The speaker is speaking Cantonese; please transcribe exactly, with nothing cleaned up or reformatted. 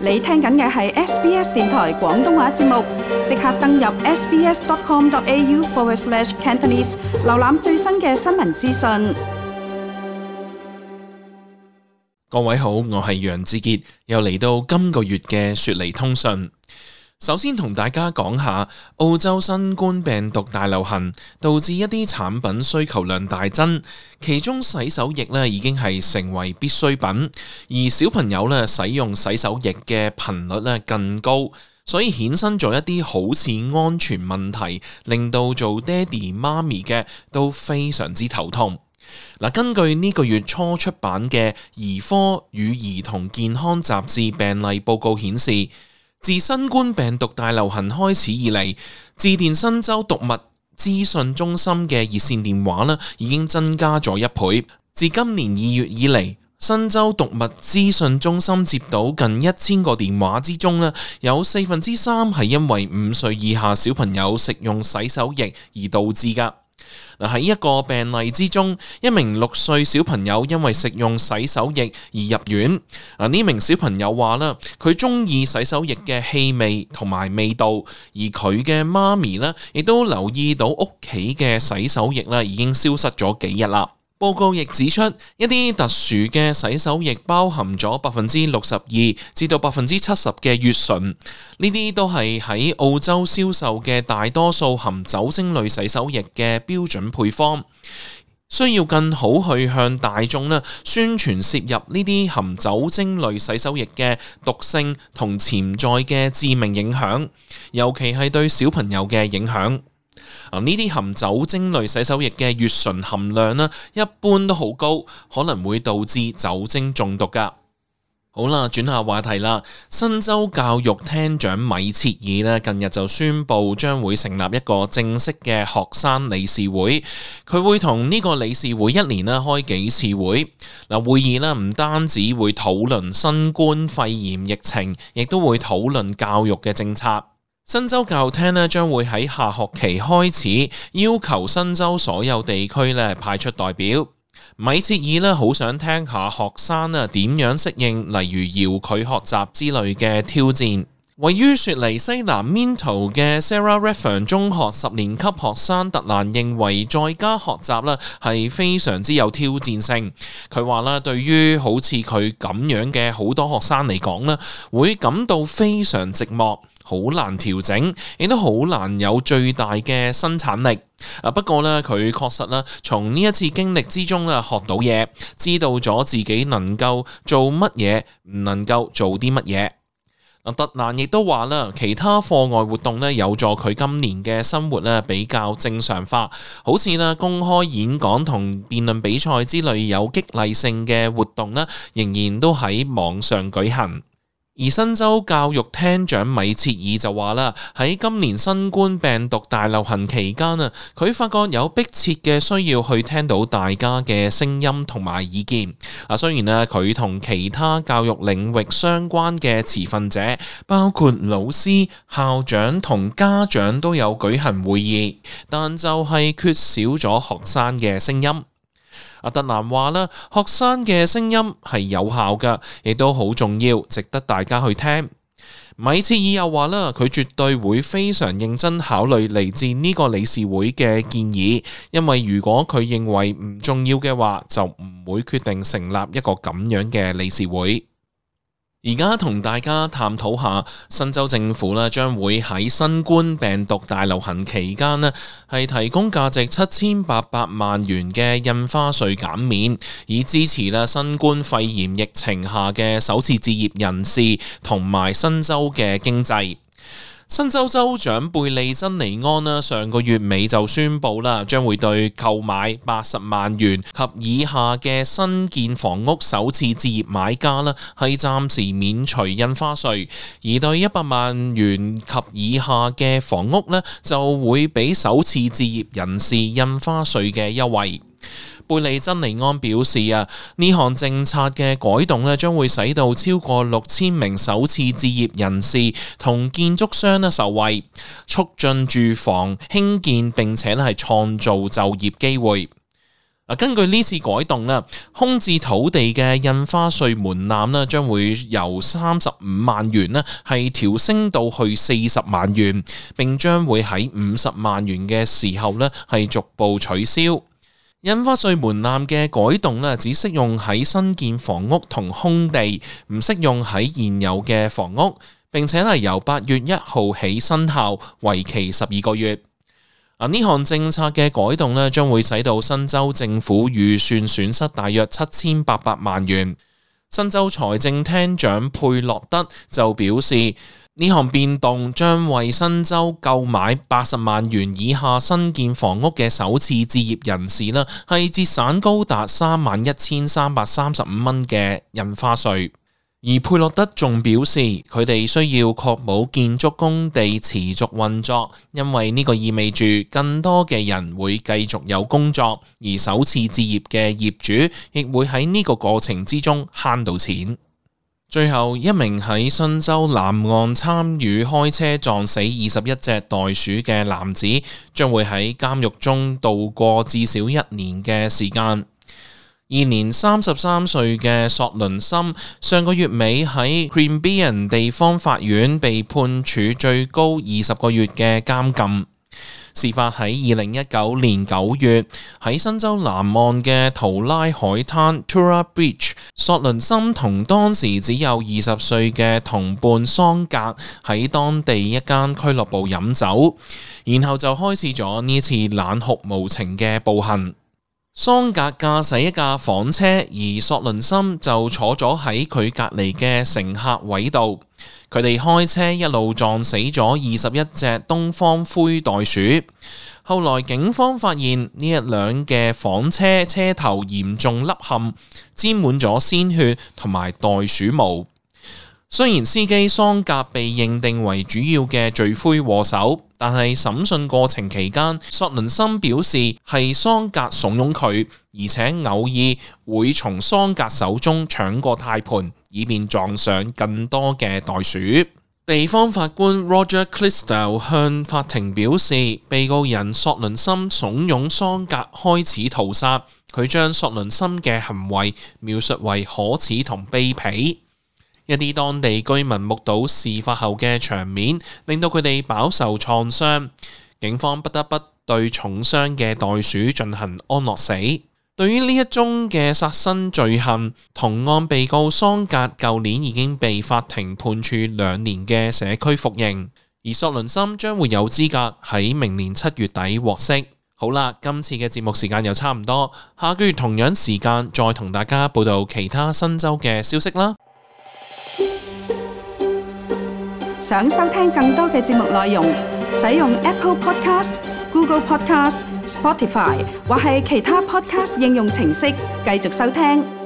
你聽緊嘅係 S B S 電台廣東話節目，即刻登入 sbs.com.au forward slash Cantonese， 瀏覽最新嘅新聞資訊。各位好，我係楊志傑，又嚟到今個月嘅雪梨通訊。首先同大家講下澳洲新冠病毒大流行導致一啲產品需求量大增，其中洗手液咧已經係成為必需品，而小朋友咧使用洗手液嘅頻率咧更高，所以衍生咗一啲好似安全問題，令到做爹哋媽咪嘅都非常之頭痛。嗱，根據呢個月初出版嘅《兒科與兒童健康雜誌》病例報告顯示，自新冠病毒大流行開始以嚟，致電新州毒物資訊中心嘅熱線電話呢已經增加咗一倍。自今年二月以嚟，新州毒物資訊中心接到近一千個電話之中呢，有四分之三係因為五歲以下小朋友食用洗手液而導致㗎。嗱，喺一個病例之中，一名六歲小朋友因為食用洗手液而入院。啊，呢名小朋友話啦，佢中意洗手液嘅氣味同埋味道，而佢嘅媽咪呢亦都留意到屋企嘅洗手液呢已經消失咗幾日啦。報告亦指出，一啲特殊嘅洗手液包含咗百分之六十二至到百分之七十嘅乙醇，呢啲都係喺澳洲銷售嘅大多數含酒精類洗手液嘅標準配方。需要更好去向大眾呢宣傳攝入呢啲含酒精類洗手液嘅毒性同潛在嘅致命影響，尤其係對小朋友嘅影響。呢啲含酒精類洗手液嘅乙醇含量呢，一般都好高，可能會導致酒精中毒噶。好啦，轉下話題啦。新州教育廳長米切爾呢，近日就宣布將會成立一個正式嘅學生理事會，佢會同呢個理事會一年呢開幾次會。嗱，會議呢唔單止會討論新冠肺炎疫情，亦都會討論教育嘅政策。新州教育廳咧將會喺下學期開始要求新州所有地區咧派出代表。米切爾咧好想聽下學生啊點樣適應，例如遙距學習之類嘅挑戰。位於雪梨西南 Minto 嘅 Sarah Redfern 中學十年級學生特蘭認為在家學習咧係非常之有挑戰性。佢話啦，對於好似佢咁樣嘅好多學生嚟講咧，會感到非常寂寞，好難調整，亦都好難有最大嘅生產力。啊，不過呢，佢確實啦，從呢一次經歷之中咧學到嘢，知道咗自己能夠做乜嘢，唔能夠做啲乜嘢。特蘭亦都話啦，其他課外活動咧有助佢今年嘅生活咧比較正常化，好似啦公開演講同辯論比賽之類有激勵性嘅活動咧，仍然都喺網上舉行。而新州教育廳長米切爾就話啦，喺今年新冠病毒大流行期間啊，佢發覺有迫切嘅需要去聽到大家嘅聲音同埋意見。啊，雖然呢，佢同其他教育領域相關嘅持份者，包括老師、校長同家長都有舉行會議，但就係缺少咗學生嘅聲音。阿特蘭話啦，學生嘅聲音係有效㗎，亦都好重要，值得大家去聽。米切爾又話啦，佢絕對會非常認真考慮嚟自呢個理事會嘅建議，因為如果佢認為唔重要嘅話，就唔會決定成立一個咁樣嘅理事會。而家同大家探討下，新州政府咧將會喺新冠病毒大流行期間咧，係提供價值七千八百萬元嘅印花稅減免，以支持咧新冠肺炎疫情下嘅首次置業人士同埋新州嘅經濟。新州州長貝利珍尼安啦，上個月尾就宣布啦，將會對購買八十萬元及以下嘅新建房屋首次置業買家啦，係暫時免除印花稅，而對一百萬元及以下嘅房屋呢，就會俾首次置業人士印花稅嘅優惠。貝利珍尼安表示啊，呢項政策嘅改動咧，將會使到超過六千名首次置業人士同建築商咧受惠，促進住房興建並且咧係創造就業機會。根據呢次改動啦，空置土地嘅印花稅門檻咧，將會由三十五萬元咧係調升到去四十萬元，並將會喺五十萬元嘅時候咧係逐步取消。印花稅門檻嘅改動咧，只適用喺新建房屋同空地，唔適用喺現有嘅房屋，並且係由八月一號起生效，為期十二個月。啊！呢項政策嘅改動咧，將會使到新州政府預算損失大約七千八百萬元。新州財政廳長佩洛德就表示，呢項變動將為新州購買八十萬元以下新建房屋嘅首次置業人士啦，係節省高達三萬一千三百三十五蚊嘅印花稅。而佩洛德仲表示，佢哋需要確保建築工地持續運作，因為呢個意味住更多嘅人會繼續有工作，而首次置業嘅業主亦會喺呢個過程之中慳到錢。最後，一名喺新州南岸參與開車撞死二十一隻袋鼠嘅男子，將會喺監獄中度過至少一年嘅時間。現年三十三歲嘅索倫森上個月尾喺 Queanbeyan 地方法院被判處最高二十個月嘅監禁。事發喺二零一九年九月，喺新州南岸嘅圖拉海灘 Tura Beach， 索倫森同當時只有二十歲嘅同伴桑格喺當地一間俱樂部飲酒，然後就開始咗呢次冷酷無情嘅暴行。桑格駕駛一架房車，而索倫森就坐咗喺佢隔離嘅乘客位度。佢哋開車一路撞死咗二十一隻東方灰袋鼠。後來警方發現呢一輛嘅房車車頭嚴重凹陷，沾滿咗鮮血同埋袋鼠毛。雖然司機桑格被認定為主要嘅罪魁禍首，但係審訊過程期間，索倫森表示係桑格慫恿佢，而且偶爾會從桑格手中搶過軚盤，以便撞上更多嘅袋鼠。地方法官 Roger Clisdell 向法庭表示，被告人索倫森慫恿桑格開始屠殺，佢將索倫森嘅行為描述為可恥同卑鄙。一啲當地居民目睹事發後嘅場面，令到佢哋飽受創傷。警方不得不對重傷嘅袋鼠進行安樂死。對於呢一宗嘅殺身罪行，同案被告桑格舊年已經被法庭判處兩年嘅社區服刑，而索倫森將會有資格喺明年七月底獲釋。好啦，今次嘅節目時間又差唔多，下個月同樣時間再同大家報道其他新州嘅消息啦。想收聽更多嘅節目內容，使用 Apple Podcast、Google Podcast、Spotify 或係其他 Podcast 應用程式繼續收聽。